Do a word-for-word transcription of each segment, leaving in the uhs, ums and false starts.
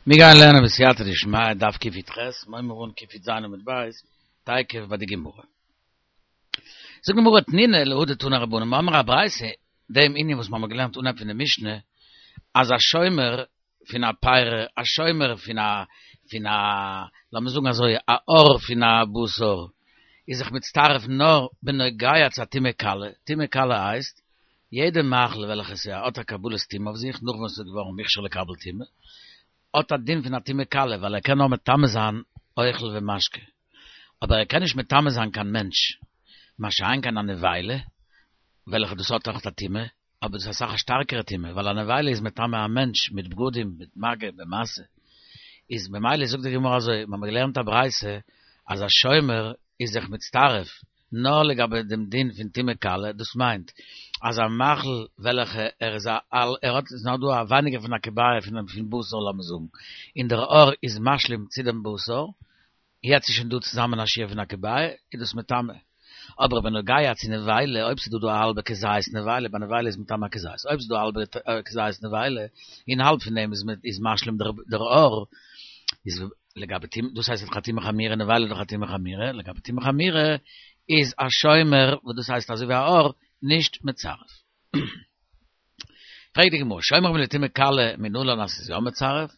מיר גייען לערנען בסייעתא דשמיא דף קי"ח, מ'הייבן אן קי"ז עמוד ב', תיכף ביי די גמרא. זאגט די גמרא תנינא להא דתנו רבנן, מיר האבן א ברייתא, דעם ענין וואס מיר האבן געלערנט אנהייב פון די משנה, אז א שומר פון א פרי, א שומר פון א, פון א, לאמיר זאגן אזוי, א עור פון א בשר, איז זיך מצטרף נאר בנוגע צו א טומאה קלה, טומאה קלה הייסט, יעדע מאכל וועלכע ס'האט א קבלת טומאה אויף זיך, נאך ווען ס'איז געווארן מוכשר לקבל טומאה, האט א דין פון א טומאה קלה, ווייל ער קען נאר מטמא זיין אוכל ומשקה, אבער ער קען נישט מטמא זיין קיין מענטש, מה שאין כן א נבילה, וועלכע דאס האט אויך א טומאה, אבער דאס איז אסאך א שטארקערע טומאה, ווייל א נבילה איז מטמא א מענטש מיט בגדים, מיט מגע, במשא. איז ממילא זאגט די גמרא אזוי, מיר האבן געלערנט א ברייתא אז א שומר איז זיך מצטרף נאר לגבי דעם דין פון טומאה קלה, דאס מיינט אז א מאכל וועלכע ער איז א ער האט איז נאר דא א ווייניגער פון א כביעה פון פון בשר לאמיר זאגן, און דער עור איז משלים צו דעם בשר, יעצט איז שוין דא צוזאמען א שיעור פון א כביעה, איז דאס מטמא. אבער בנוגע צו נבילה, אויב ס'איז דא דא א האלבע כזית נבילה, ביי נבילה איז מטמא א כזית, אויב ס'איז דא א האלבע כזית נבילה, און האלב פון דעם איז משלים דער עור, איז לגבי טומאה, דאס הייסט דאך א טומאה חמורה, נבילה איז דאך א טומאה חמורה, לגבי טומאה חמורה איז א שומר, וואס דאס הייסט אזוי ווי א עור, נישט מצרף. פרעגט די גמרא, שומרים לטומאה קלה מנלן אז ס'איז יא מצרף?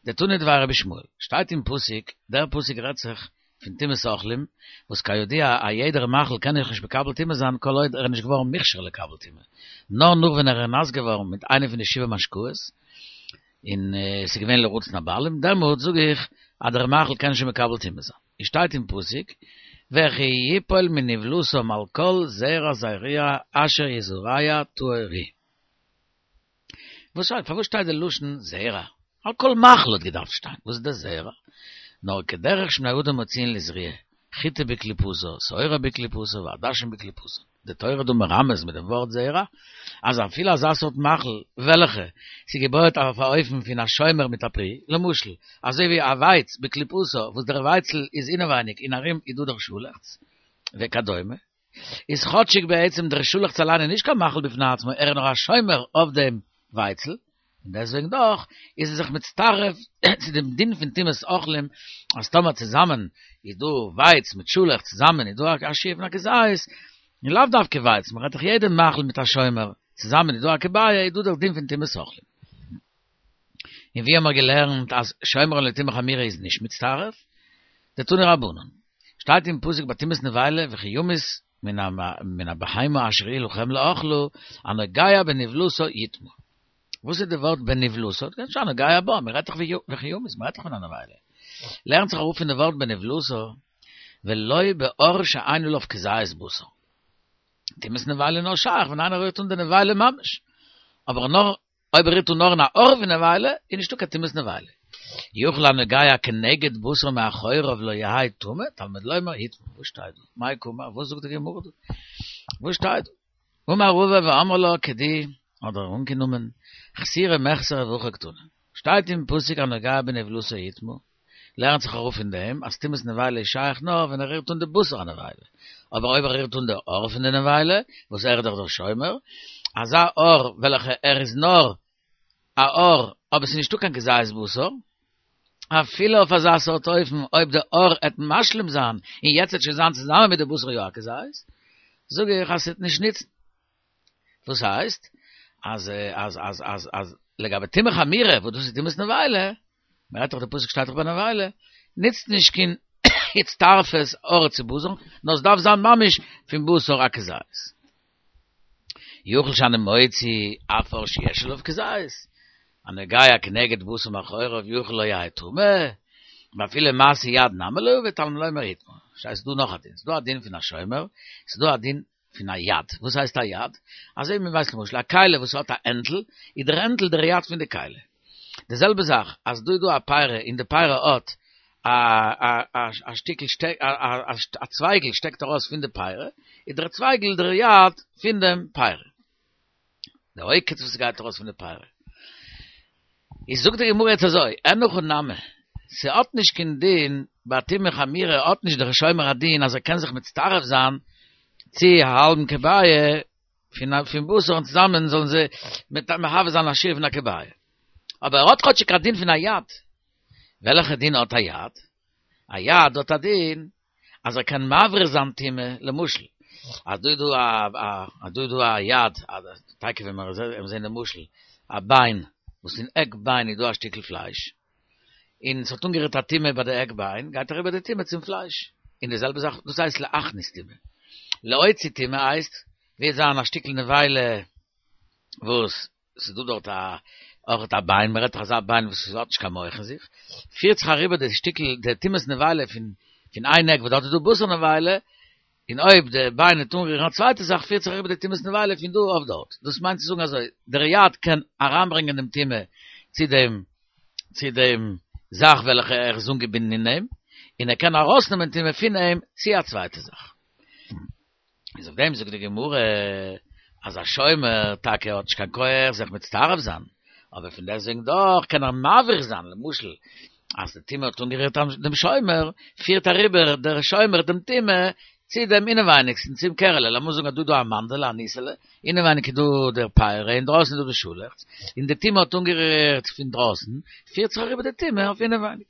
דתנא דבי רבי ישמעאל, שטייט אין פסוק, דער פסוק רעדט זיך פון טומאת אוכלים, וואס כידוע א יעדער מאכל קען דאך נישט מקבל טומאה זיין כל עוד ער איז נישט געווארן מוכשר לקבל טומאה, נאר נאך ווען ער איז נאס געווארן מיט איינע פון די שבעה משקאות, און עס איז געווען לרצון הבעלים, דעמאלט זאג איך אז דער מאכל קען שוין מקבל טומאה זיין. עס שטייט אין פסוק, וכי יפול מנבלתם על כל זרע זרוע אשר יזרע טהור הוא. וואס שטייט? פארוואס שטייט די לשון זרע? על כל מאכל האט געדארפט שטיין, וואס איז דער זרע? נאר כדרך שבני אדם מוציאין לזריעה, חיטה בקליפתה, שעורה בקליפתה, ועדשים בקליפתן. די תורה איז דא מרמז מיט דעם ווארט זרע, אז אפילו אזא סארט מאכל וועלכע ס'איז געבויעט אויף א אופן פון א שומר מיט א פרי, למשל, אזוי ווי א ווייץ בקליפתה וואס דער ווייצל איז אינעווייניג און ארום איז דא דער שאלעכץ, וכדומה. איז כאטשיג בעצם דער שאלעכץ אליין איז נישט קיין מאכל בפני עצמו, ער איז נאר א שומר אויף דעם ווייצל, און דעסוועגן דאך איז ער זיך מצטרף צו דעם דין פון טומאת אוכלים, אז טאמער צוזאמען איז דא ווייץ מיט שאלעכץ צוזאמען איז דא א שיעור פון א כזית, און לאו דווקא ווייץ, מען רעדט דאך יעדע מאכל מיט א שומר, צוזאמען איז דא א כביעה איז דא דער דין פון טומאת אוכלים. און ווי האמער געלערנט אז שומרין לטומאה חמורה איז נישט מצטרף? דתנו רבנן, שטייט אין פסוק ביי טומאת נבילה וכי ימות מן הבהמה אשר היא לכם לאכלה הנוגע בנבלתה יטמא. וואס איז די ווארט בנבלתה? קען שטיין הנוגע בה, מען רעדט דאך וכי ימות, מען רעדט דאך פון א נבילה. לערנט זיך אראפ פון די ווארט בנבלתה ולא בעור שאין עליו כזית בשר. טומאת נבילה איז נאר שייך ווען איינער רירט אן די נבילה ממש, אבער נאר אויב ער רירט אן נאר אין א עור פון נבילה, איז נישטא קיין טומאת נבילה. יכול הנוגע כנגד בשר מאחוריו לא יהא טמא, תלמוד לומר יטמא. וואס שטייט דא? מאי קאמר? וואס זאגט די גמרא דא? וואס שטייט דא? אמר רבא ואמרי לה כדי, האט ער אנגענומען, חסורי מחסרא והכי קתני. שטייט אין פסוק הנוגע בנבלתה יטמא, לערנט זיך אראפ פון דעם אז טומאת נבילה איז שייך נאר ווען ער רירט אן די בשר הנבילה, אבער אויב ער רירט אן די עור פון די נבילה, וואס ער איז דאך דער שומר, אזא עור וועלכע ער איז נאר א עור אבער ס'איז נישטא קיין כזית בשר, אפילו אויף אזא סארט אופן אויב די עור עט משלים זיין און יעצט עט שוין זיין צוזאמען מיט די בשר יא א כזית, זאג איך אז ס'עט נישט נוצן. וואס הייסט אז אז אז אז אז לגבי טומאה חמורה וואס דאס איז טומאת נבילה, מען רעדט דאך די פסוק שטייט דאך ביי נבילה, נוצט נישט קיין הצטרפות עור צו בשר, נאר עס דארף זיין ממש פון בשר א כזית. יכול שאני מוציא אף עור שיש עליו כזית, הנוגע כנגד בשר מאחוריו יכול לא יהא טמא, ואפילו מעשה יד נמי לא עביד תלמוד לומר יטמא. ס'איז דא נאך א דין, ס'איז דא א דין פון א שומר, ס'איז דא א דין פון א יד. וואס הייסט א יד? אזוי ווי מען ווייסט למשל א כלי וואס האט א הענטל, איז דער הענטל דער יד פון די כלי. די זעלבע זאך אז דא איז דא א פרי און די פרי האט א א א שטיקל שטעק א צווייגל שטעקט ארויס פון די פרי, איז דער צווייגל דער יד פון דעם פרי. די עוקץ וואס גייט ארויס פון די פרי. איז זאגט די גמרא יעצט אזוי, אין הכי נמי, ס'האט נישט קיין דין, ביי טומאה חמורה האט נישט דער שומר א דין אז ער קען זיך מצטרף זיין צו א האלבן כביעה פון פון בשר און צוזאמען זאלן זיי מהווה זיין א שיעור פון א כביעה. אבער ער האט כאטשיג א דין פון א יד. וועלכע דין האט א יד? א יד האט א דין, אז ער קען מעביר זיין טומאה, למשל, אז דא איז דא א, א, אז דא איז דא א יד, טאקע ווען מיר זעהן די משל, א ביין, וואס אין עק ביין איז דא א שטיקל פלייש, און ס'האט אנגערירט א טומאה ביי די עק ביין, גייט אריבער די טומאה צום פלייש. און די זעלבע זאך, דאס הייסט להכניס טומאה. להוציא טומאה הייסט, וועט זיין א שטיקל נבילה וואס ס'איז דא דארט א אויך א ביין, מ'רעדט דאך אזא ביין וואס האט נישט קיין מח אין זיך, פירט זיך אריבער די שטיקל, די טומאת נבילה פון פון איין עק וואס דארט איז דא בשר נבילה, און אויב די ביין וועט אנרירן א צווייטע זאך פירט זיך אריבער די טומאת נבילה פון דא אויף דארט. דאס מיינט צו זאגן אזוי, דער יד קען אריינברענגען דעם טומאה צו דעם צו דעם זאך וועלכע ער איז אנגעבינדן אין אים, און ער קען ארויסנעמען טומאה פון אים צו א צווייטע זאך. איז אויף דעם זאגט די גמרא אז א שומר טאקע האט נישט קיין כח זיך מצטרף זיין, אבער פון דעסטוועגן דאך קען ער מעביר זיין, למשל אז די טומאה האט אנגערירט דעם שומר, פירט אריבער דער שומר דעם טומאה צו דעם אינעווייניגסטן, צום קערעלע, לאמיר זאגן אז דא איז דא א מאנדעלע, א ניסעלע, אינעווייניג איז דא דער פרי, אינדרויסן איז דא די שאלעכץ, און די טומאה האט אנגערירט פון דרויסן, פירט זיך אריבער די טומאה אויף אינעווייניג.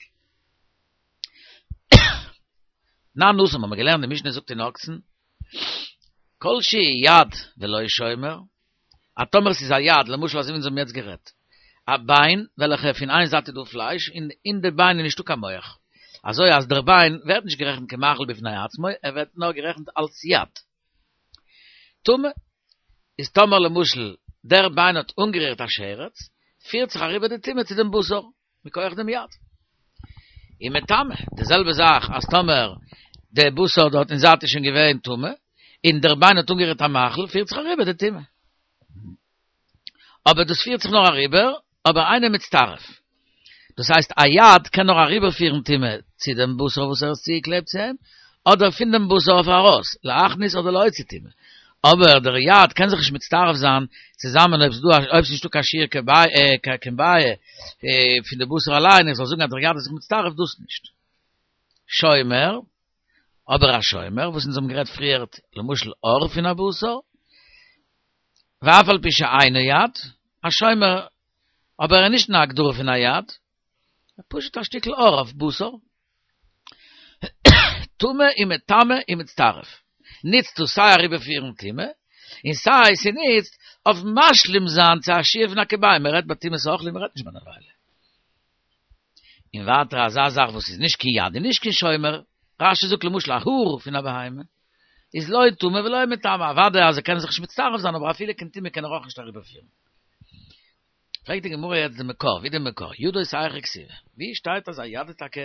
תנן התם האבן מיר געלערנט די משנה זאגט אין אוקסן, כל שהוא יד ולא שומר, אז טאמער ס'איז א יד, למשל אזוי ווי אונז האבן יעצט גערעדט, א ביין וועלכע פון איין זייט איז דא פלייש און אין די ביין איז נישטא קיין מח, אזוי אז דער ביין ווערט נישט גערעכנט כמאכל בפני עצמו, ער ווערט נאר גערעכנט אלס יד. טמא, איז טאמער למשל דער ביין האט אנגערירט א שרץ, פירט זיך אריבער די טומאה צו דעם בשר, מכח דעם יד. ומטמא, די זעלבע זאך אז טאמער די בשר דארט אין זייט איז שוין געווען טמא, און דער ביין האט אנגערירט א מאכל, פירט זיך אריבער די טומאה. אבער דאס פירט זיך נאר אריבער, אבער אינו מצטרף. דאס הייסט א יד קען נאר אריבערפירן טומאה צו דעם בשר וואס ער איז צוגעקלעבט צו אים, אדער פון דעם בשר אויף ארויס, להכניס אדער להוציא טומאה. אבער דער יד קען זיך נישט מצטרף זיין צוזאמען אויב ס'דא אויב ס'נישטא קיין שיעור כביעה פון די בשר אליין, איך זאל זאגן אז דער יד איז זיך מצטרף, דאס נישט. שומר, אבער א שומר, וואס אונז האבן גערעדט פריערט, למשל עור פון א בשר, ואף על פי שאינו יד, א שומר, אבער ער איז נישט אין א הגדרה פון א יד, פשוט א שטיקל עור אויף בשר. טמא ומטמא ומצטרף, ניצט דאס סיי אריבערפירן טומאה, און סיי ס'ניצט אויף משלים זיין צו א שיעור פון א כביעה, מ'רעדט ביי טומאת אוכלים, מ'רעדט נישט ביי נבילה. און ווייטער אזא זאך וואס איז נישט קיין יד און נישט קיין שומר, רש"י זאגט למשל א האר פון א בהמה, איז לא טמא ולא מטמא, אוודאי אז ער קען זיך נישט מצטרף זיין אבער אפילו קיין טומאה קען ער אויך נישט אריבערפירן. פרעגט די גמרא יעצט די מקור, ווי די מקור? ידות היכא כתיבי, ווי שטייט אז א יד איז טאקע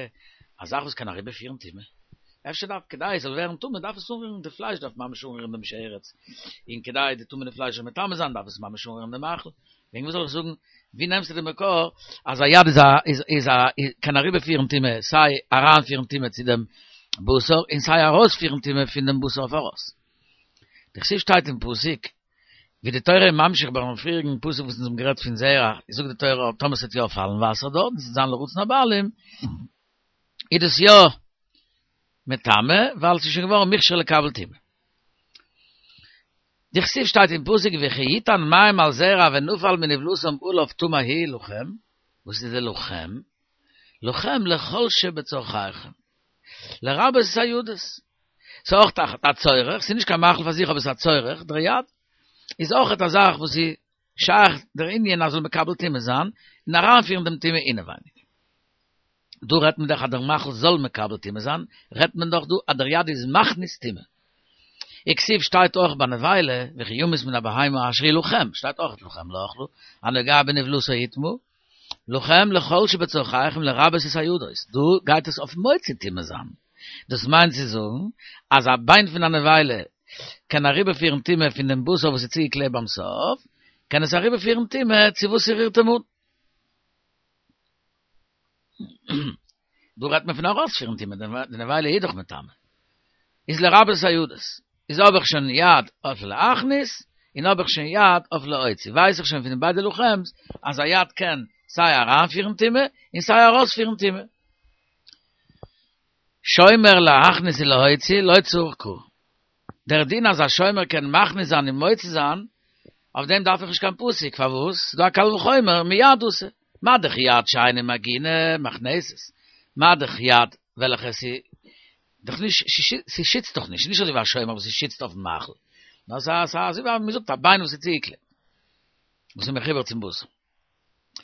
א זאך וואס קען אריבערפירן טומאה? אפשר דארף כדי עס זאל ווערן טמא דארף עס אנרירן די פלייש דארף ממש אנרירן דעם שרץ, און כדי די טמא'נע פלייש זאל מטמא זיין דארף עס ממש אנרירן דעם מאכל, וועגן וואס זאל איך זאגן, ווי נעמסטו די מקור אז א יד איז א איז איז א קען אריבערפירן טומאה סיי אריינפירן טומאה צו דעם בשר און סיי ארויספירן טומאה פון דעם בשר אויף ארויס? דכתיב שטייט אין פסוק ווי די תורה איז ממשיך ביים פריעריגן פסוק וואס אונז האבן גערעדט פון זרע, זאגט די תורה טאמער ס'וועט יא פאלן וואסער דארט און ס'וועט זיין לרצון הבעלים, איז דאס יא מטמא, ווייל ס'איז שוין געווארן מוכשר לקבל טומאה. דכתיב שטייט אין פסוק וכי יתן מים על זרע ונפל מנבלתם עליו טמא הוא לכם, וואס איז די לכם? לכם לכל שבצרכיכם, לרבות את הידות. ס'איז אויך א צורך, ס'איז נישט קיין מאכל פאר זיך אבער ס'איז א צורך, דער יד איז אויך א זאך וואס איז שייך דער ענין אז זאל מקבל טומאה זיין און אריינפירן דעם טומאה אינעווייניג. דא רעדט מען דאך אז דער מאכל זאל מקבל טומאה זיין, רעדט מען דאך דא אז דער יד איז מכניס טומאה. וכתיב שטייט אויך ביי נבילה, וכי ימות מן הבהמה אשר היא לכם, שטייט אויך לכם לאכלה, הנוגע בנבלתה יטמא, לכם לכל שבצרכיכם לרבות את הידות, דא גייט עס אויף מוציא טומאה זיין, דאס מיינט צו זאגן אז א ביין פון א נבילה קען אריבערפירן טומאה פון דעם בשר וואס איז צוגעקלעבט ביים סוף, קען עס אריבערפירן טומאה צו וואס ס'רירט אים אן. דא רעדט מען פון ארויספירן טומאה, די נבילה איז דאך מטמא. איז לרבות הידות. איז האב איך שוין יד אויף להכניס, און האב איך שוין יד אויף להוציא. ווייס איך שוין פון די ביידע לכם'ס אז א יד קען סיי אריינפירן טומאה, און סיי ארויספירן טומאה. שומר להכניס ולהוציא לא צריך קרא. דער דין אז א שומר קען מכניס זיין און מוציא זיין, אויף דעם דארף איך נישט קיין פסוק, פארוואס? ס'דא א קל וחומר, מיד אתא, מה דאך יד שאינה מגונה, מכנסת. מה דך יד, וועלכע sie doch nicht, sie schützt doch nicht, nicht so wie ein aber sie schützt auf dem Machel. Na, sa, sa, sie war, mir sucht, Bein, wo sie ziekle. Muss ich mich rüber zum Bus.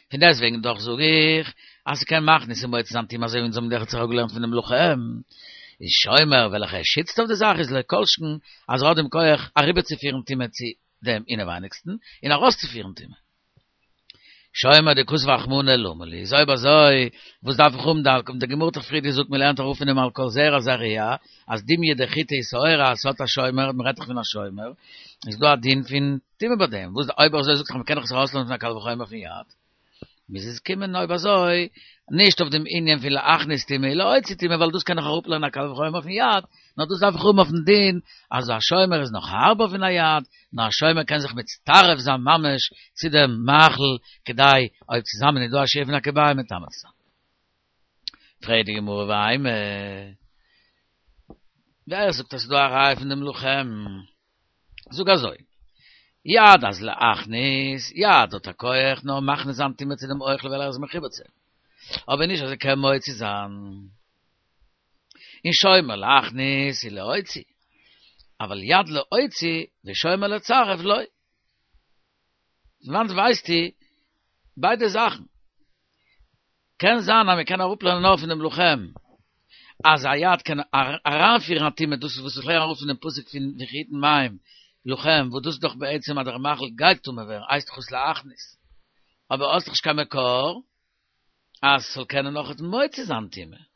Von deswegen doch sag ich, als ich kein Mach, nicht so jetzt am Thema, so in so einem der gelernt von dem Lochem. Ich schäumer, welcher er schützt auf die Sache, ist le Kolschken, also hat dem Koech, a rüber zu führen, Thema, zu dem innerweinigsten, in a Rost zu führen, Thema. Schäumer, de Kuss wachmune lumeli. Soi ba soi, wo's darf ich um da, kommt der Gemurter Friede, sucht mir lernt, rufen ihm al kol zera zaria, als dimje de chite is oira, als hat a schäumer, mir rettig von a schäumer, ist do a din fin time bei dem. Wo's da oiber soi, sucht, man kann doch so rauslohnen von a kalvachäumer von Yad. Mis es kimmen oiber soi, nicht auf dem Indien viele Achnis time, lo oitzi time, weil du's kann noch ruppeln a kalvachäumer von Yad, na du's darf ich um auf den Din, also a schäumer ist noch harber von a Yad, na a schäumer kann sich mit Taref sein Mamesh, zu dem Machel, kedai, oib zusammen, du a schäfen a kebay mit Tamatza. Fredig im Urweime. Wer sagt, dass du a Reif in dem Luchem? Sogar so. Ja, das le Achnis, ja, dort a Koech, no machen es am Timme zu dem Euchle, weil er es mechibetze. Aber nicht, also kein Moitzi sein. In Schäumer le Achnis, le Oitzi. Aber Jad le Oitzi, le Schäumer le Zaref, loi. Wann weiß die, beide Sachen. Ken sein, aber kann auch planen auf in dem Luchem. Als Ayat kann aranführen hat Timme, dus was ich lehre auf in dem Pusik von Vechiten Maim, Luchem, wo dus doch bei Ezem ad Machel geit tume wer, eist chus la Achnis. Aber aus doch kein Mekor, as soll kennen noch et Moitzi sein Timme.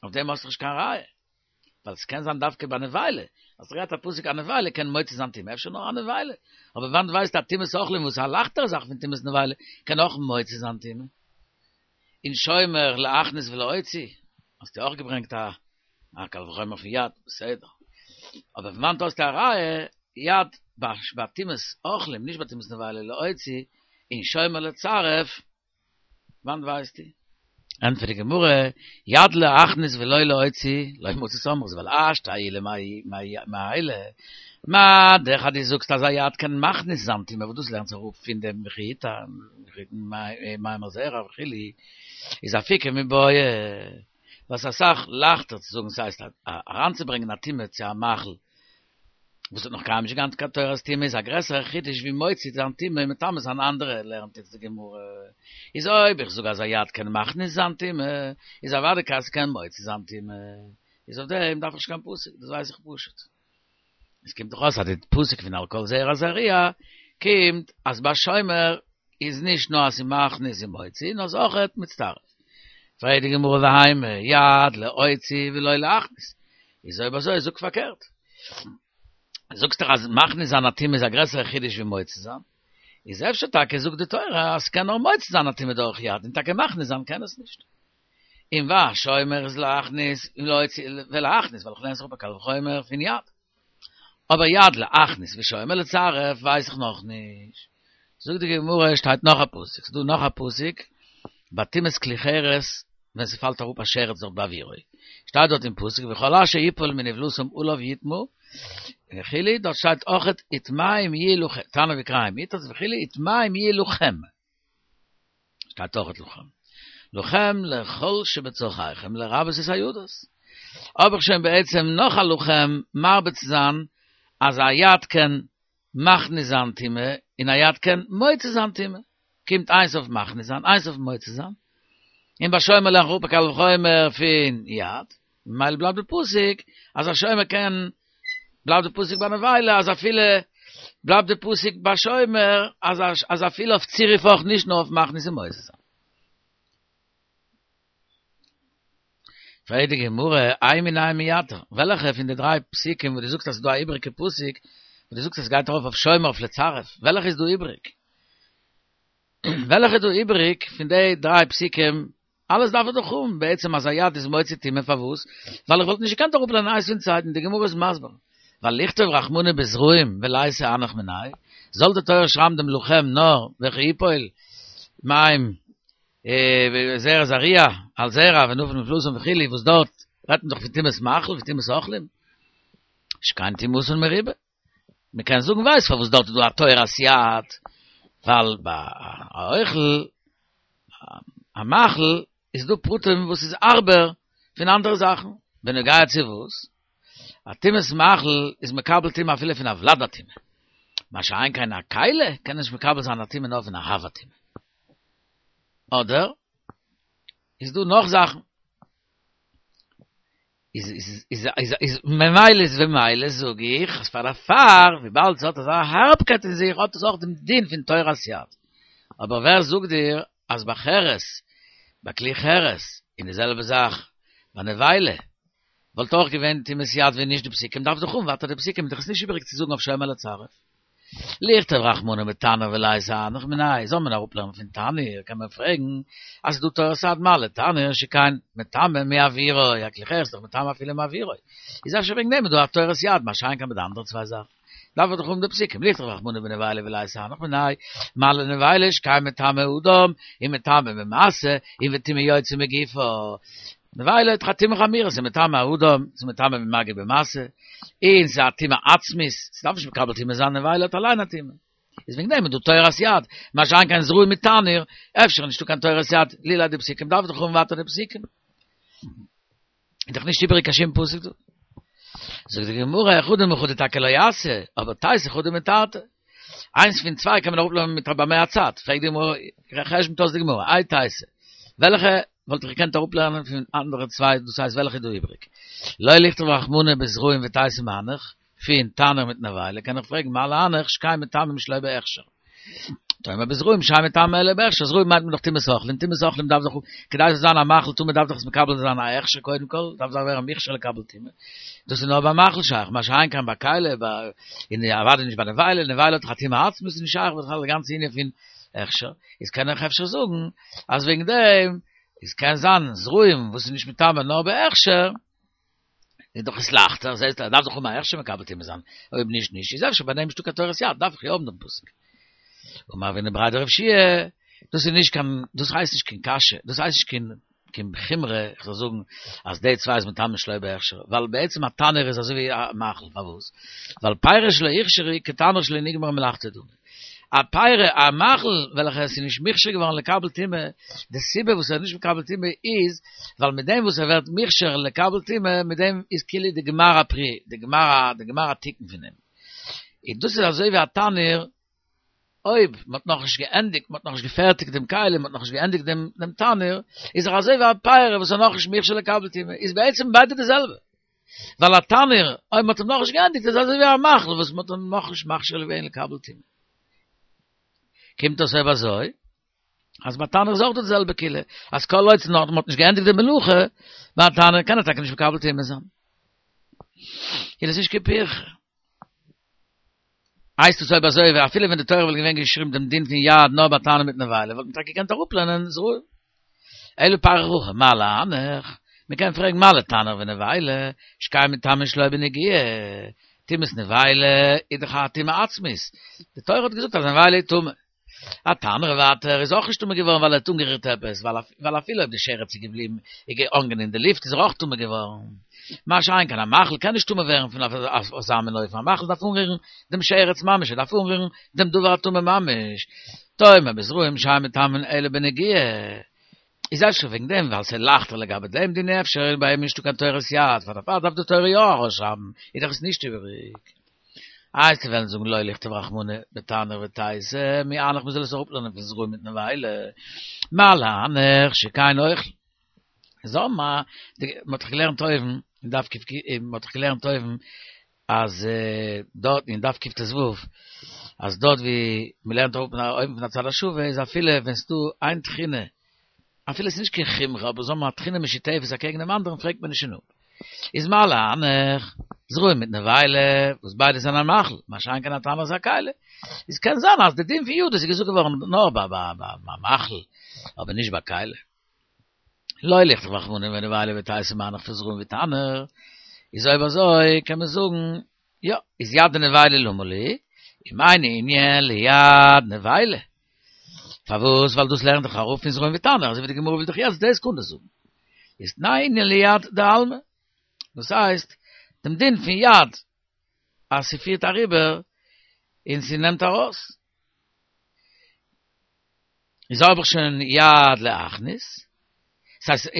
Auf dem aus doch kein Reihe. Weil es kein sein darf ke eine Weile. Als der hat Pusik eine Weile, kein Moitzi sein Timme, schon noch eine Weile. Aber wann weiß der Timme Sochlim, wo es a leichtere Sache von Timme eine Weile, kann auch Moitzi sein Timme. In Schäumer le Achnis ve le Oitzi, hast du auch gebringt da, a Kalvachäumer von Yad, Seder. Aber wenn man aus der Reihe, Yad, ba Times Ochlim, nicht bei Times eine Weile, le Oitzi, in Schäumer le Zaref, wann weiß die? Und für die Gemurre, Yad le Achnis ve loi le Oitzi, loi mutzi Somers, weil asch, ta ile ma ma eile. Ma, der hat die suchst, dass er Yad kann Machnis samt ihm, aber du lernst auch in dem Mechita, ma ma ma zera, chili, is a fike mi boye. Was er sag, lacht er zu sagen, das heißt, heranzubringen, a Timme zu a Machel. Wo noch gar nicht ganz teures Timme ist, a größere Chitisch wie Moitzi, dann Timme mit Tames an andere lernt jetzt die Gemurre. Is oib, ich sogar sa Yad kann Machnis an Timme, is a Wadekas kann Moitzi an Timme. Is auf dem darf ich kein Pusik, das weiß ich Pushet. Es kommt doch aus, hat die Pusik von Alkohol Zera Zaria, kommt, als bei Schäumer, is nicht nur als sie Machnis im Moitzi, nur auch et mit Starf. Freit die Gemurre daheim, Yad le Oitzi, wie loi le Achnis. Is oib so, is auch verkehrt. Sagst du, als Machnis an Atim ist a größere Chiddisch wie Moitzi sein? Is öfter Tag, sucht die Teure, als kann auch Moitzi sein Atim durch Yad. In Tag Machnis an, kann es nicht. Im wa, Schäumer ist le Achnis, im Leutzi, le Achnis, weil ich lerne es auch bei Kalvachäumer von Yad. Aber Yad le Achnis, wie Schäumer le Zaref, weiß ich noch nicht. Sog die Gemurre, steht noch a Pusik. Du noch a Pusik, Batimes Klicheres, wenn sie fällt darauf, a Scheret so Baviroi. Steht dort im Pusik, wie Chola she yipol min evlusum ulov yitmu, Chili, dort steht auch et itmaim yiluchem, Tana v'kraim, itas v'chili, itmaim yiluchem. Steht auch et luchem. Luchem lechol shebezochaichem, lerabes is hayudas. Aber schon be'etzem noch a luchem, marbet zan, als ayat ken machne time, in ayat ken moitze zan time. Kimt eins auf machne zan, eins auf moitze zan. In bashoymer lech rupa kal v'choymer fin yad, meil blab de pusik, als a shoymer ken blab de pusik ba Weile, als a viele blab de pusik ba shoymer, als a, als a viele auf Zirif auch nicht nur auf machne zan moitze zan. Freit die Gemurre, ein min ein miat. Welche von den drei Psiken, wo du suchst, dass du a übrige Pusik, wo du suchst, das geht drauf auf Schäumer, auf Lezaref. Welche ist du übrig? Welche du übrig von den drei Psiken, alles darf er doch um. Be'etzem als Ayat ist Moitzi Time Favus, weil ich wollte nicht gekannt darüber in Eis und Zeiten, die Gemurre ist Masber. Weil Lichter Rachmune bezruim, veleise anach menai, sollte teuer schramm dem Luchem, no, welche Ipoil, maim, Zera Zaria, al Zera, wenn du von Fluss und Chili, wo's dort, retten doch für Times Machel, für Times Ochlim. Ich kann Timus und Meribe. Man kann sagen, weiß, wo's dort du a teuer Asiat, weil bei Euchel, a Machel, איז דא פרוטים וואס איז ארבער פון אנדערע זאכן. בנוגע צו וואס? א טומאת מאכל איז מקבל טומאה אפילו פון א ולד הטומאה. מה שאין כן א כלי קען נישט מקבל זיין א טומאה נאר פון א אב הטומאה. אדער איז דא נאך זאכן. איז איז איז איז איז ממילא איז במילא זאג איך אז פאר דערפאר וויבאלד ס'האט אזא הארבקייט אין זיך האט עס אויך דעם דין פון תורת יד. אבער ווער זאגט דיר אז ביי חרס, ביי כלי חרס, און די זעלבע זאך ביי נבילה, וואלט אויך געווען טומאת יד ווען נישט די פסוקים, דארף דאך האבן ווייטער די פסוקים, איז דאך עס נישט איבעריג צו זאגן אויף שומר לצרף. לכתוב רחמנא בתנור וליתי הנך מיניה, זאל מען אראפלערנען פון תנור, קען מען פרעגן אז ס'איז דא תורת היד מה לתנור שכן מטמא מאווירו, א כלי חרס איז דאך מטמא אפילו מאווירו, איז אפשר וועגן דעם איז דא א תורת יד, מה שאין כן ביי די אנדערע צוויי זאכן דארף מען דאך האבן די פסוקים, לכתוב רחמנא בנבילה וליתי הנך מיניה, מה לנבילה שכן מטמא אדם, און מטמא במשא, און וטומאה יוצאה מגופו. נבילה האט דאך א טומאה חמורה, ס'איז מטמא אדם, ס'איז מטמא במגע במשא, און ס'איז א טומאה עצמית, ס'דארף נישט מקבל טומאה זיין, נבילה האט אליין א טומאה. איז וועגן דעם איז דא תורת יד, מה שאין כן זרעים מיט תנור, אפשר איז נישטא קיין תורת יד, לולא די פסוקים דארף דאך האבן ווייטער די פסוקים. איז דאך נישט איבעריג קיין שום פסוק דא. זאגט די גמרא, חדא מחדא טאקע לא אתיא, אבער תיתי חדא מתרתי. איינס פון צוויי קען מען אראפלערנען מיט א במה הצד, פרעגט די גמרא, חשבונ'ט אויס די גמרא, איי תיתי, וועלכע וואלט איך געקענט אראפלערנען פון אנדערע צוויי, דאס הייסט וועלכע איז דא איבריג? לא לכתוב רחמנא בזרעים ותיתי מהנך, פון תנור מיט נבילה, קען איך פרעגן מה להנך שכן מטמאים שלא בהכשר. תאמר בזרעים שאין מטמאים אלא בהכשר, זרעים מיינט מען דאך טומאת אוכלים, טומאת אוכלים דארף דאך, כדי ס'זאל זיין א מאכל טמא דארף דאך עס מקבל זיין א הכשר קודם כל, דארף זיין ווערן מוכשר לקבל טומאה. דאס איז נאר ביי מאכל שייך, מה שאין כן ביי כלי, און אוודאי נישט ביי נבילה, נבילה האט דאך א טומאה עצמית, איז נישט שייך בכלל די גאנצע ענין פון הכשר, איז קען איך אפשר זאגן אז וועגן דעם איז קען זיין זרעים וואס איז נישט מטמא נאר בהכשר, איז דאך עס לייכטער, זעהסט ער דארף דאך האבן א הכשר מקבל טומאה זיין, אויב נישט נישט, איז אפשר ביי דעם נישטא קיין תורת יד, דארף איך יא האבן דעם פסוק. אמר רב הונא בריה דרב יהושע, דאס איז נישט קיין, דאס הייסט נישט קיין קשיא, דאס הייסט נישט קיין קיין חומרא, איך זאל זאגן אז די צוויי איז מטמא שלא בהכשר, ווייל בעצם א תנור איז אזוי ווי א מאכל, פארוואס? ווייל פירות שלא הוכשרו כתנור שלא נגמרה מלאכתו דמי. א פירא, א מאכל וועלכע עס איז נישט מוכשר געווארן לקבל טומאה, די סיבה וואס ער איז נישט מקבל טומאה איז, ווייל מיט דעם וואס ער ווערט מוכשר לקבל טומאה, מיט דעם איז כאילו די גמר הפרי, די גמר די גמר התיקון פון אים. און דאס איז אזוי ווי א תנור, אויב מען האט נאכנישט געענדיגט, מען האט נאכנישט געפערטיגט דעם כלי, מען האט נאכנישט געענדיגט דעם דעם תנור, איז דאך אזוי ווי א פירא וואס איז נאכנישט מוכשר לקבל טומאה, איז בעצם ביידע די זעלבע. ווייל א תנור, אויב מען האט אים נאכנישט געענדיגט, איז אזוי ווי א מאכל וואס מען האט אים נאכנישט מכשיר געווען לקבל טומאה. קומט אויס אויב אזוי, אז ביי תנור איז אויך די זעלבע קולא, אז כל עוד נאך מען האט נישט געענדיגט די מלאכה, ביי א תנור קען ער טאקע נישט מקבל טומאה זיין. איז עס נישט קיין פירכא. הייסט עס אויב אזוי ווי אפילו ווען די תורה וואלט געווען געשריבן דעם דין פון יד נאר ביי תנור מיט נבילה וואלט מען טאקע געקענט אראפלערנען זרעים. אלא פריך הכי מה להנך, מען קען פרעגן מה לתנור ונבילה, שכן מטמאין שלא בנגיעה, טומאת נבילה איז דאך א טומאה עצמית, די תורה האט געזאגט אז נבילה איז טמא. א תנור ווייטער איז אויך נישט טמא געווארן ווייל ער האט אנגערירט עפעס, ווייל אפילו אויב די שרץ איז געבליבן איז געהאנגען אין די לופט איז ער אויך טמא געווארן. מה שאין כן א מאכל קען נישט טמא ווערן פון אזא מין אופן, א מאכל דארף אנרירן דעם שרץ ממש, ער דארף אנרירן דעם דבר הטמא ממש. תאמר בזרעים שאין מטמאין אלא בנגיעה. איז אפשר וועגן דעם ווייל ס'איז לייכטער לגבי דעם דין אפשר איז ביי אים נישטא קיין תורת יד, פאר דערפאר דארף די תורה יא ארויסשרייבן, איז דאך עס נישט איבעריג. איי וועסטו וועלן זאגן לא לכתוב רחמנא בתנור ותיתי מהנך מ'זאל עס אראפלערנען פון זרעים מיט נבילה מה להנך שכן אוכל זאל מה מ'האט דאך געלערנט אויבן אין דף ק מ'האט דאך געלערנט אויבן אז דארט אין דף קט"ו אז דארט ווי מ'לערנט אראפ אויבן פון הצד השווה איז אפילו ווען ס'דא איין טחינה אפילו ס'איז נישט קיין חומרא אבער זאל מען א טחינה משותפת אקעגן דעם אנדערן פרעגט מען נישט שוין אפ. איז מה להנך, זרעים מיט נבילה, וואס ביידע זענען א מאכל, מה שאין כן א תנור איז א כלי. איז קען זיין אז די דין פון יד איז געזאגט געווארן נאר ביי ביי מאכל, אבער נישט ביי כלי. לא לכתוב רחמנא בנבילה ותיתי מהנך פון זרעים ותנור, איז אויב אזוי קען מען זאגן, יא, איז יד דנבילה למה לי, אם אינו ענין ליד נבילה. פארוואס? ווייל דאס לערנט דאך אראפ פון זרעים ותנור, אזוי ווי די גמרא וויל דאך יעצט דאס קודם זאגן. איז תנהו ענין ליד דעלמא. דאס הייסט, דעם דין פון יד, אז ס'פירט אריבער און ס'נעמט ארויס. איז האב איך שוין יד להכניס, Das heißt,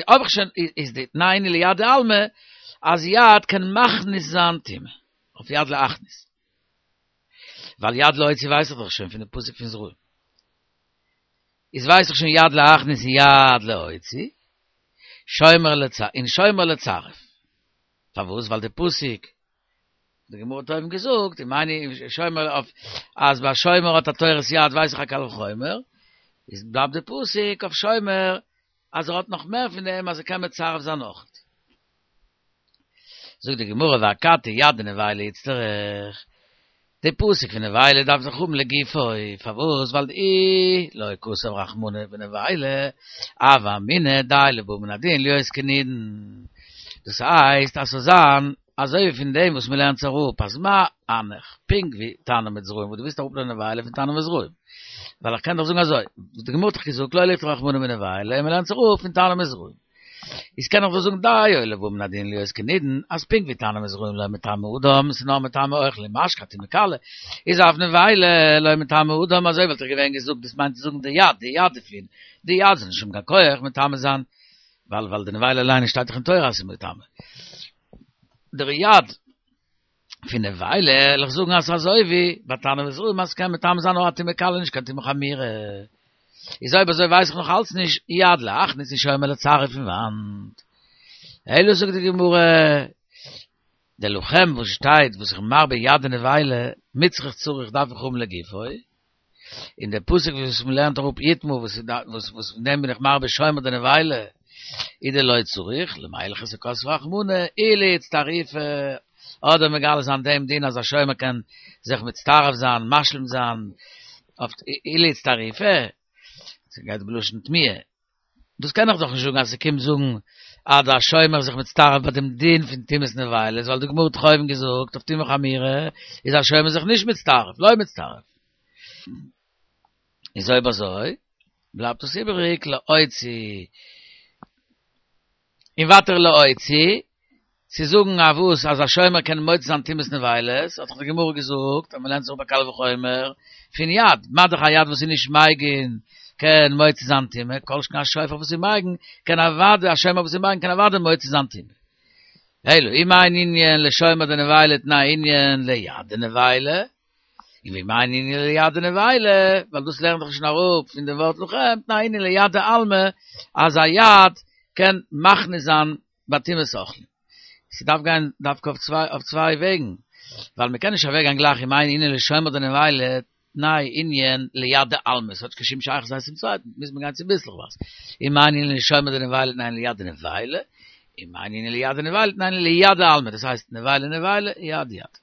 ob ich schon, ist die Nein ליד אלמה, אז יד kann מכניס זיין טומאה. אויף יד להכניס. ווייל יד להוציא ווייס איך דאך שוין, פון דער פסוק פון זרעים. איז ווייס איך שוין יד להכניס יד להוציא. שומר לצ אין שומר לצרף. פארוואס? ווייל דער פסוק די גמרא האט אויבן געזאגט, איך מיין שומר אויף אז ביי שומר האט א תורת יד ווייס איך א קל וחומר, איז בלייבט דער פסוק אויף שומר אז ער האט נאך מער פון דעם אז ער קען מצרף זיין נאך. זאגט די גמרא ואכתי יד דנבילה איצטריך. די פסוק פון נבילה דארף זיך האבן לגופו, פארוואס? ווייל דאי לא כתב רחמנא בנבילה, הוה אמינא דיו לבא מן הדין להיות כנידון. דאס הייסט אז ס'זאל זיין אזוי ווי פון דעם וואס מ'לערנט זיך אראפ אז מה אנך, פונקט ווי תנור מיט זרעים, וואס דו ווילסט אראפלערנען נבילה פון תנור מיט זרעים. ווייל איך קען דאך זאגן אזוי, די גמרא האט דאך געזאגט לא ליפטר רחמנא מנבילה, און מ'לערנט זיך אראפ פון תנור מיט זרעים. איז קען איך דאך זאגן דיו לבא מן הדין להיות כנידון, אז פונקט ווי תנור מיט זרעים לא מטמא אדם, ס'איז נאר מטמא אוכלים משקה טומאה קלה, איז אף נבילה לא מטמא אדם, אזוי וואלט איך געווען געזאגט, דאס מיינט צו זאגן די יד, די יד דערפון, די יד זאל נישט האבן קיין כח מטמא זיין, ווייל ווייל די נבילה אליין שטייט דאך אין תורה אז ס'איז מטמא. דער יד פון נבילה, וועל איך זאגן אז אזוי ווי ביי תנור וזרעים אז ס'קען מטמא זיין נאר א טומאה קלה נישט קיין טומאה חמורה. איז אויב אזוי ווייס איך נאך אלץ נישט יד להכניס און שומר לצרף פון וואנט. אלא זאגט די גמרא, דער לכם וואס שטייט וואס איך מרבה יד דנבילה מיצרך צריך דארף איך האבן לגופו, און דער פסוק וואס מען לערנט אראפ יטמא וואס וואס וואס פון דעם בין איך מרבה שומר דנבילה איז דלא צריך למהלכתא כתב רחמנא אילו איצטרופי אדער מגלה זיין דעם דין אז א שומר קען זיך מצטרף זיין משלים זיין אויף אילו איצטרופי ס'גייט בלשון תמיהה דאס קען איך דאך נישט זאגן אז ס'קומט זאגן אז דער שומר זיך מצטרף ביי דעם דין פון טומאת נבילות, ווייל די גמרא האט דאך אויבן געזאגט אויף טומאה חמורה איז א שומר זיך נישט מצטרף, לא מצטרף. איז אויב אזוי בלייבט דאס איבעריג להוציא און ווייטער להוציא, צו זאגן א וואס אז א שומר קען מוציא זיין טומאת נבילות, האט דאך די גמרא געזאגט אז מ'לערנט זיך אפ א קל וחומר פון יד, מה דאך א יד וואס איז נישט מגין קען מוציא זיין טומאה, כל שכן א שופר וואס איז מגין קען אוודאי, א שומר וואס איז מגין קען אוודאי מוציא זיין טומאה. אלא אם אין ענין לשומר דנבילה תנאי ענין ליד דנבילה, און ואם אין ענין ליד דנבילה, ווייל דאס לערנט דאך שוין אראפ פון דעם ווארט לכם, תנאי ענין ליד דעלמא, אז א יד קען מכניס זיין ביי טומאת אוכלים. ס'דארף גיין דווקא אויף צוויי אויף צוויי וועגן, ווייל מ'קען נישט אוועקגיין גלייך אם אין ענין לשומר דנבילה תנאי ענין ליד דעלמא, ס'האט נישט קיין שום שייכות איינס צום צווייטן, מוז מען גיין צוביסלעכווייז. אם אין ענין לשומר דנבילה תנאי ליד דנבילה, אם אין ענין ליד דנבילה תנאי ליד דעלמא, דאס הייסט נבילה נבילה, יד יד.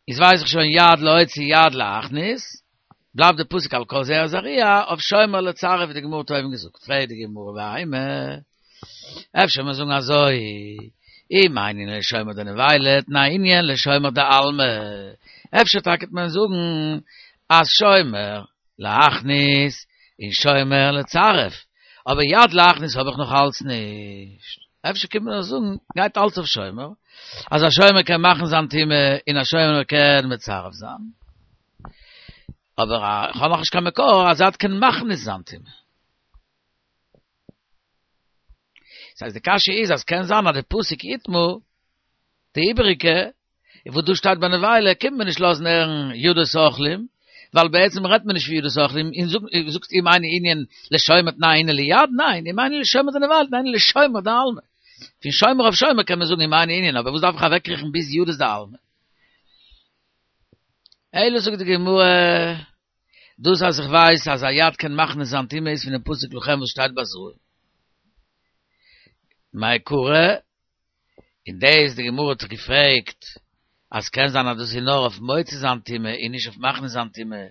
איז ווייס איך שוין יד להוציא יד להכניס, בלייבט די פסוק על כל זרע זרוע אויף שומר לצרף ווי די גמרא האט אויבן געזאגט, פרעגט די גמרא ואימא, אפשר מיר זאגן אזוי, אם אין ענין לשומר דנבילה תנאי ענין לשומר דעלמא, אפשר טאקע וועט מען זאגן אז שומר להכניס און שומר לצרף, אבער יד להכניס האב איך נאך אלץ נישט. אפשר קומט מען דאך זאגן, גייט אלץ אויף שומר, אז א שומר קען מאכן זיין טומאה און א שומר קען מצרף זיין. אבער איך האב נאכנישט קיין מקור אז יד קען מכניס זיין טומאה. ס'הייסט די קשיא איז אז קען זיין אז די פסוק יטמא, די איבעריגע, וואס דא שטייט ביי נבילה, קומט מען נישט לאזן הערן ידות אוכלים, ווייל בעצם רעדט מען נישט פון ידות אוכלים, און זאגסט אם אין ענין לשומר תנאי ענין ליד, ניין, אם אין ענין לשומר דנבילה תנאי ענין לשומר דעלמא. פון שומר אויף שומר קען מען זאגן אם אין ענין, אבער וואס דארף איך אוועקקריכן ביז ידות דעלמא? אלא זאגט די גמרא, דאס אז איך ווייס אז א יד קען מכניס זיין טומאה איז פונעם פסוק לכם וואס שטייט ביי זרעים. מאי קרא? און דאס די גמרא האט זיך געפרעגט אז קען זיין אז דאס איז נאר אויף מוציא זיין טומאה און נישט אויף מכניס זיין טומאה,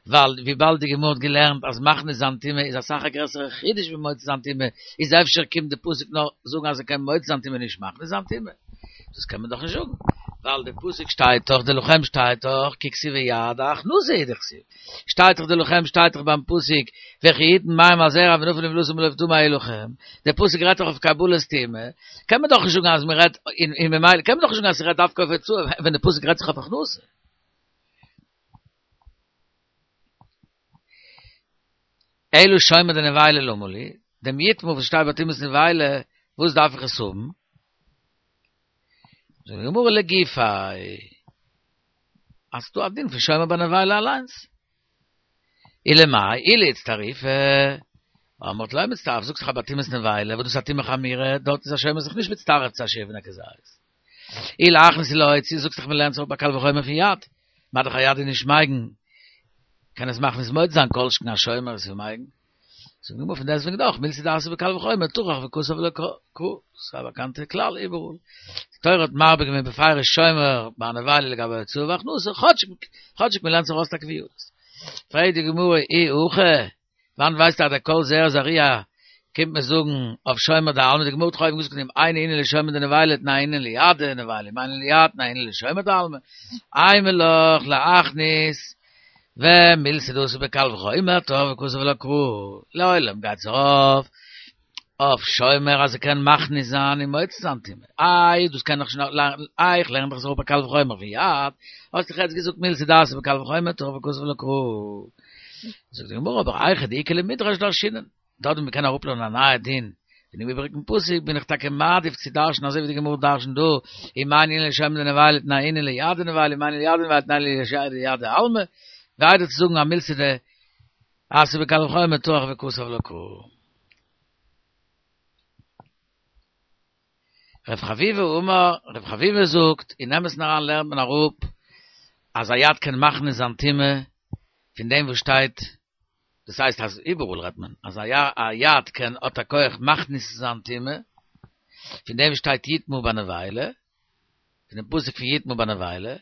ווייל וויבאלד די גמרא האט געלערנט אז מכניס זיין טומאה איז אסאך א גרעסערע חידוש ווי מוציא זיין טומאה, איז אפשר קומט די פסוק נאר זאגן אז ער קען מוציא זיין טומאה נישט מכניס זיין טומאה? דאס קען מען דאך נישט זאגן, ווייל די פסוק שטייט דאך די לכם שטייט דאך כי כתיב ויד הכנסה הוא דכתיב, שטייט דאך די לכם שטייט דאך ביים פסוק וכי יתן מים על זרע ונפל נבלתם ולא טמא יהיה לכם, דער פסוק רעדט דאך אויף קבלת טומאה, קען מען דאך נישט זאגן אז מען רעדט און ממילא קען מען דאך נישט זאגן אז ס'רעדט דווקא אויף הוצאה ווען די פסוק רעדט זיך אויף הכנסה. Elu shoymer de Neweile lomoli, dem Yitmu, was steht bei Timus Neweile, wo es darf ich es haben? So, die Gemurre le Gifai. Hast du Adin für shoymer bei Neweile allein? Ile mai, ile jetzt Tarif, אמרת לא מצטרף, זוג לך בתים נביילה, ודו סתים לך מירה, דort ist השם sich nicht מצטרף צו השבן הכזייס. איל אכנס לא יצי, זוג לך מלען צו בקל וחוי מפיית. מה דך היד in schmeigen. Kann es machen, es moit sein, kolschken a shoymer, es meigen. So nur von deswegen doch, mil sie das bekal וחוי מטורח וקוס אבל קו, סבא קante klar überall. Teuret marbig mit befeire shoymer, ba ne weile gabe zu wach nu so khotsch khotsch מלען צו rost akviut. Frei die Gemurre i uche, Wann weiß da der Kol sehr Zaria, kommt mir sagen, auf Schäumer da Alme, die Gemut träumen, muss ich eine Innele Schäumer de Weile, na Innele Jade, ne Weile, meine Jade, na Innele Schäumer da Alme. Einmal loch, la Achnis, ve milse dus be kalv immer tov, kus vel kru. Loilem geht's auf. Auf Schäumer, also kann machen sein, im Moitz-Santim. Ai, du kann noch schon, ai, ich lerne doch so be kalv immer, wie ja. Hast du jetzt gesagt, milse das be kalv immer tov, kus vel kru. Sagt die Gemara, aber eiche, die Ikele Midrash da schienen. Da du mir keiner Ruppler na nahe din. Wenn ich überrücken Pussy, bin ich take Madif, zu darschen, also wie die Gemara darschen, du, ich meine, in le de Weile, na in le Jade ne Weile, meine Jade ne Weile, na le Jade Jade Alme, weiter zu sagen, am Milse de, ase bekal khoy mit toach ve kus av loko. Rav Chavive Umar, Rav Chavive sucht, in Emes nach an lernt man Rup, als Ayat kann machen is Antime, von dem wo steht, das heißt, das überall redet man, als Ayat kann ot a koich machen is Antime, von dem steht Yitmu ba ne Weile, von dem Pusik für Yitmu ba ne Weile,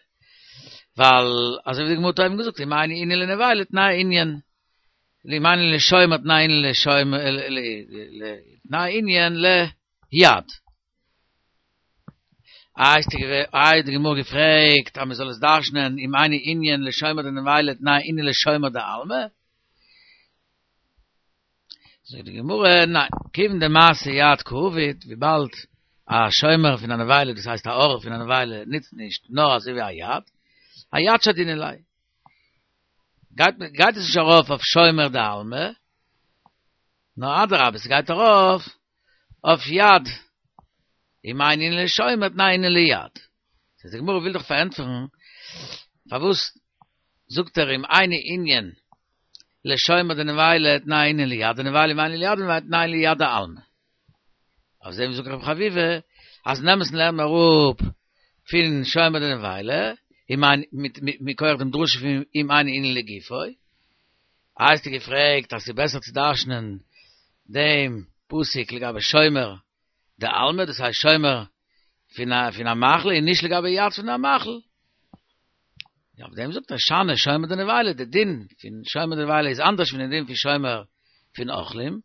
weil, also wie die Mutter eben gesagt, ich meine, in ne Weile, na injen, ich meine, le Schäumet, na in le Schäume, na injen, le Yad. Ah, ist die ah, die Gemur gefragt, aber soll es darstellen, im eine Indien le Schäumer de Weile, na in le Schäumer de Alme? So die Gemur, nein, kiven de Maße Yad Covid, wie bald a Schäumer von einer Weile, das heißt a Ohr von einer Weile, nützt nicht, nur als wie a Yad. A Yad schaut in elai. Geht, geht es sich auf auf Schäumer de Alme? Na, adrab, es geht darauf auf Yad. Ich meine, in le Schäumer, nein, in le Yad. Das heißt, die Gemara will doch verantworten, verwusst, sucht er im eine Indien, le Schäumer de Weile, nein, in le Yad, de Weile, nein, in le Yad, nein, in le Yad, Alme. Auf dem sucht er Chavive, als nehmen lernen wir rup, vielen Schäumer de Weile, ich meine, mit, mit, mit koch dem Drusch im eine in le Gifoi. Als die gefragt, dass sie besser zu darstellen, dem Pusik, legabe Schäumer, der Alme, das heißt Schäumer von einer, von einer Machle, in nicht legabe Yad von einer Machle. Ja, auf dem sagt er, Schane, Schäumer de Weile, der Din, von Schäumer de Weile ist anders von dem Din, von Schäumer von Ochlim,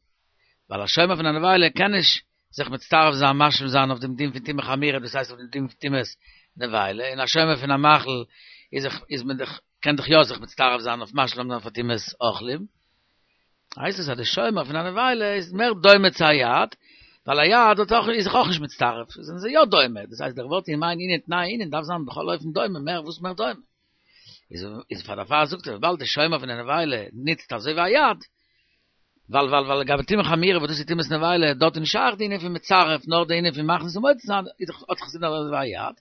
weil der Schäumer von einer Weile kann ich sich mit Starf sein, Maschem sein, auf dem Din von Timech Amira, das heißt auf dem Din von Times de Weile. In der Schäumer von einer Machle ist, ist mit, kann doch ja sich mit Starf sein, auf Maschem von Times Ochlim. Heißt es, der Schäumer von einer Weile ist mehr Däume Zayat, weil er ja, dort auch, ist auch nicht mit Starf. Das sind ja Däume. Das heißt, der Wort in mein Ihnen, nein, Ihnen, darf sagen, doch läuft Däume, mehr, wo ist mehr Däume? Ist, ist von der Fahr sucht, weil der Schäumer von einer Weile nitzt, also wie Yad. Weil, weil, weil, gab Timech Amira, wo du sie Times eine Weile, dort in Schach, die in mit Zaref, nor die in machen, so moit, ist hat gesehen, aber war Yad.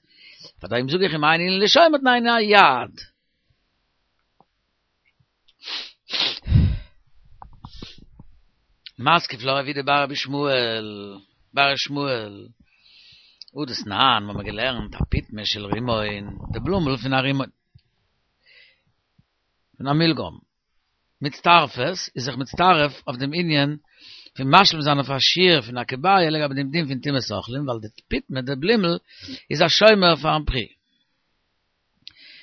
Von daher suche ich in mein Ihnen, le Schäumer, nein, nein, Yad. Maske flora wieder bar Shmuel, bar Shmuel. U das nahen, wo man gelernt, a pit meshel rimoin, de blumel von a rimoin. Von a Milgom. Mit Starfes, ist sich mit Starf auf dem Indien, von Maschel seiner Faschir, von a Kebaye, leg aber dem Ding von Times Ochlin, weil der Pit mit der Blimmel ist a Schäumer von am Pri.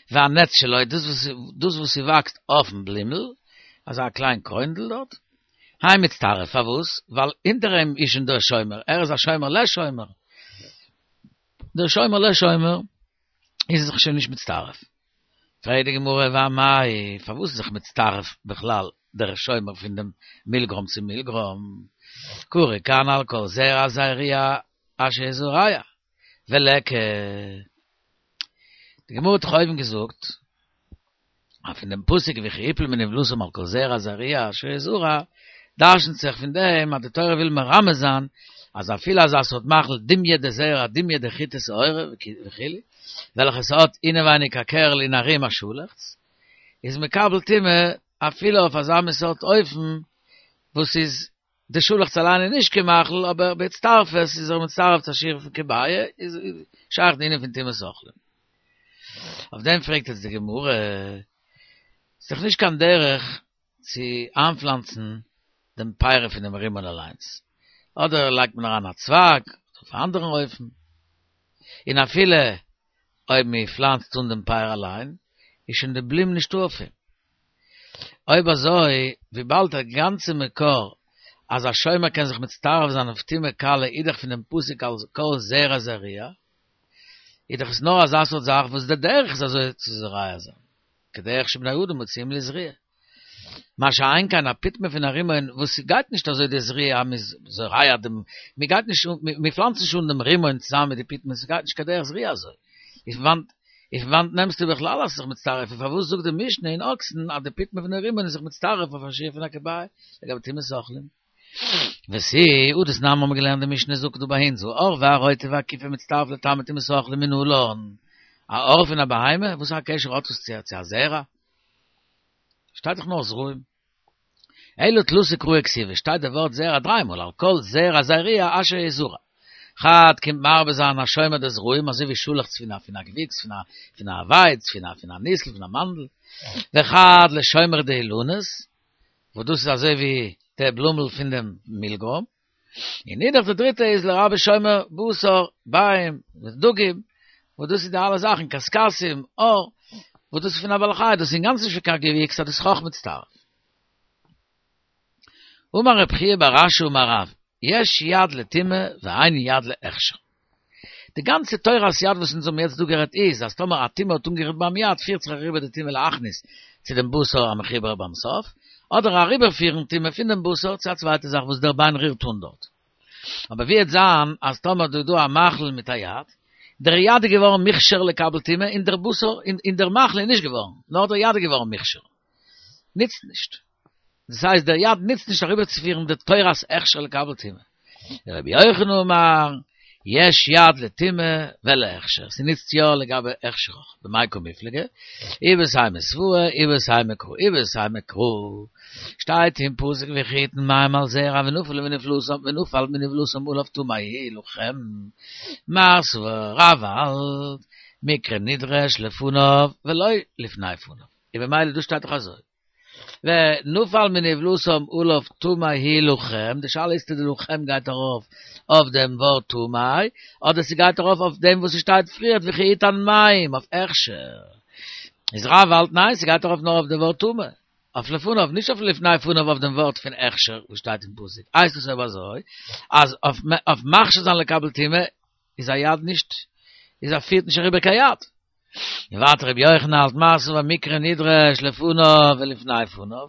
War nett, Leute, das, was, das, was sie wächst auf dem Blimmel, also a klein Kreundel dort, Heim mit Starf, verwus, weil hinter ihm ist schon der Schäumer. Er ist ein Schäumer, le Schäumer. Der Schäumer, le Schäumer, ist sich schon nicht mit Starf. Frage die Gemurre war mai, verwus sich mit Starf, bechlal, der Schäumer von dem Milgrom zu Milgrom. Kure, Kanal, Kol, Zera, Zairia, Asche, Zuraya. Veleke. Die Gemurre hat häufig gesucht, aber in dem Pusik, wie Chippel, mit dem Lusum, al Kol, Zera, Zairia, Asche, Zura, דרשנט זיך פון דעם, אז די תורה וויל מרמז זיין, אז אפילו אזא סארט מאכל דומיא דזרע דומיא דחיטה ושעורה וכו', וועלכע ס'האט אינעווייניג א קערל און ארום א שאלעכץ, איז מקבל טומאה אפילו אויף אזא מין סארט אופן וואס איז די שאלעכץ אליין איז נישט קיין מאכל, אבער בהצטרפות איז ער מצטרף צו א שיעור פון כביעה, איז שייך די ענין פון טומאת אוכלים. אויף דעם פרעגט יעצט די גמרא, ס'איז דאך נישט קיין דרך צו איינפלאנצן דעם פרי פון דעם רימון אליינס, אדער לייגט מען אריין א צווייג, אדער אויף א אנדערן אופן, און אפילו אויב מען פלאנצט אן דעם פרי אליין, איז שוין די בלום נישטא אויף אים. אויב אזוי, וויבאלד דער גאנצע מקור אז א שומר קען זיך מצטרף זיין אויף טומאה קלה איז דאך פון דעם פסוק על כל זרע זרוע, איז דאך עס נאר אזא סארט זאך וואס דער דרך איז אזוי צו זורע זיין, כדרך שבני אדם מוציאים לזריעה. מה שאין כן א פיטמא פון א רימון וואס ס'גייט נישט אזוי די זריעה אז מ'איז זורע דעם, מ'גייט נישט מ'פלאנצט נישט אן דעם רימון צוזאמען מיט די פיטמא, ס'גייט נישט כדרך זריעה אזוי. איז פון וואנט איז פון וואנט נעמסטו בכלל אז ס'איז זיך מצטרף און פארוואס זאגט די משנה אין אוקסין אז די פיטמא פון די רימון איז זיך מצטרף אויף א שיעור פון א כביעה לגבי טומאת אוכלים? ותו, הא דתנן האבן מיר געלערנט די משנה זאגט דא ביי אונז העור והרוטב והכיפה מצטרף לטמא טומאת אוכלים מנלן א עור פון א בהמה וואס א קשר האט עס צו א זרע? שטייט דאך נאר זרעים. אלא תלתא קראי כתיבי, שטייט די ווארט זרע דריי מאל, על כל זרע זרוע אשר יזרע. חד קומט מרבה זיין א שומר דזרעים אזוי ווי שאלעכץ פון א פון א געוויקס פון א פון א ווייץ פון א פון א ניסל פון א מאנדל. וחד לשומר דאילנות, וואס דאס איז אזוי ווי די בלומל פון דעם מילגרוים. און אידך די דריטע איז לרבות שומר בשר, ביעים, ודגים, וואס דאס איז די אלע זאכן, קשקשתים, עור, וואס דאס איז פון א בעל חי, דאס איז אינגאנצן נישט פון קיין געוויקס, אז דאס איז אויך מצטרף. אמר רב חייא בר אשי אמר רב, יש יד לטומאה ואין יד להכשר. די גאנצע תורת יד וואס אונז האבן יעצט דא גערעדט איז, אז טאמער א טומאה האט אנגערירט ביים יד פירט זיך אריבער די טומאה להכניס צו דעם בשר המחובר ביים סוף, אדער אריבערפירן טומאה פון דעם בשר צו א צווייטע זאך וואס דער ביין רירט אן דארט. אבער ווי עט זיין אז טאמער דא איז דא א מאכל מיט א יד, דער יד איז געווארן מוכשר לקבל טומאה און דער בשר און דער מאכל איז נישט געווארן, נאר דער יד איז געווארן מוכשר. נוצט נישט. דאס הייסט דער יד נוצט נישט אריבערצופירן די תורת הכשר לקבל טומאה. רבי יוחנן אמר, יש יד לטומאה ולהכשר, ס'נוצט יא לגבי הכשר אויך, במאי קמיפלגי, איבעית אימא סברא, איבעית אימא קרא, איבעית אימא קרא, שטייט אין פסוק וכי יתן מים על זרע ונפל מנבלתם ונפל מנבלתם עליו טמא הוא לכם, מר סבר רב האלט, מקרא נדרש לפניו ולא לפני פניו, און במילא דא שטייט דאך אזוי. ונפל מנבלתם עליו טמא הוא לכם, די שאלה איז צו די לכם גייט ארויף אויף דעם ווארט טמא, אדער ס'גייט ארויף אויף דעם וואס ס'שטייט פריערט וכי יתן מים, אויף הכשר. איז רב האלט ניין ס'גייט ארויף נאר אויף די ווארט טמא, אויף לפניו, נישט אויף לפני פניו אויף דעם ווארט פון הכשר וואס שטייט אין פסוק. הייסט עס אויב אזוי אז אויף מכשיר זיין לקבל טומאה איז א יד נישט, איז א פירט נישט אריבער קיין יד. און ווייטער רבי יוחנן האלט מר סבר מקרא נדרש לפניו ולפני פניו,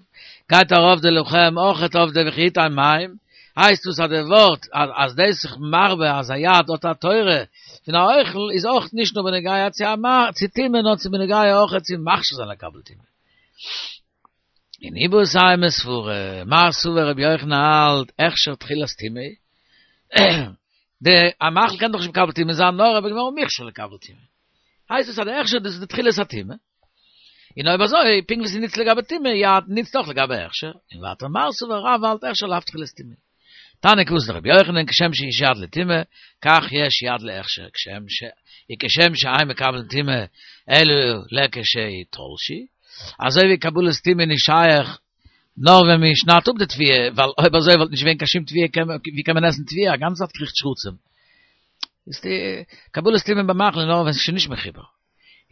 גייט ארויף די לכם אויכעט אויף די וכי יתן מים, הייסט דאס אז די ווארט אז דאס זיך מרבה אז א יד האט א תורה פון א אוכל איז אויך נישט נאר בנוגע צו א צו טומאה נאר צו בנוגע אויכעט צו מכשיר זיין לקבל טומאה. און איבעית אימא סברא, מר סבר רבי יוחנן האלט הכשר תחילת טומאה, די א מאכל קען דאך נישט מקבל טומאה זיין נאר אויב ער איז געווארן מוכשר לקבל טומאה. הייסט עס אז די הכשר דאס איז די תחילת הטומאה. און אויב אזוי, פונקט ווי ס'נוצט לגבי טומאה, יד נוצט אויך לגבי הכשר. און ווייטער מר סבר רב האלט הכשר לאו תחילת טומאה. תניא כוותיה דרבי יוחנן כשם שיש יד לטומאה, כך יש יד להכשר, כשם ש וכשם שאין מקבלין טומאה אלא לכשתלשו, אזוי ווי קבלת טומאה איז נישט שייך נאר ווען מען שניידט אפ די תבואה, ווייל אויב אזוי וואלט נישט געווען קיין שום תבואה, ווי קען מען עסן תבואה, א גאנצע צייט קריכט שרצים. איז די קבלת טומאה במאכל איז נאר ווען ס'איז שוין נישט מחובר.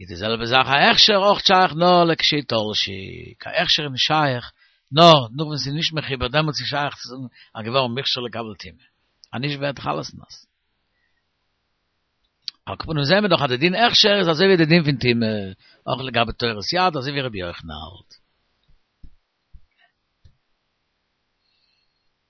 איז די זעלבע זאך א הכשר אויך שייך נאר לכשתלשו, קיין הכשר איז נישט שייך נאר נאך ווען ס'איז נישט מחובר דעמאלטס איז שייך צו זאגן אז געווארן מוכשר לקבל טומאה, אז נישט ווערט דאך אלעס נאס. על כל פנים זעהן מיר דאך אז די דין הכשר איז אזוי ווי די דין פון טומאה, אויך לגבי תורת יד אזוי ווי רבי יוחנן האלט.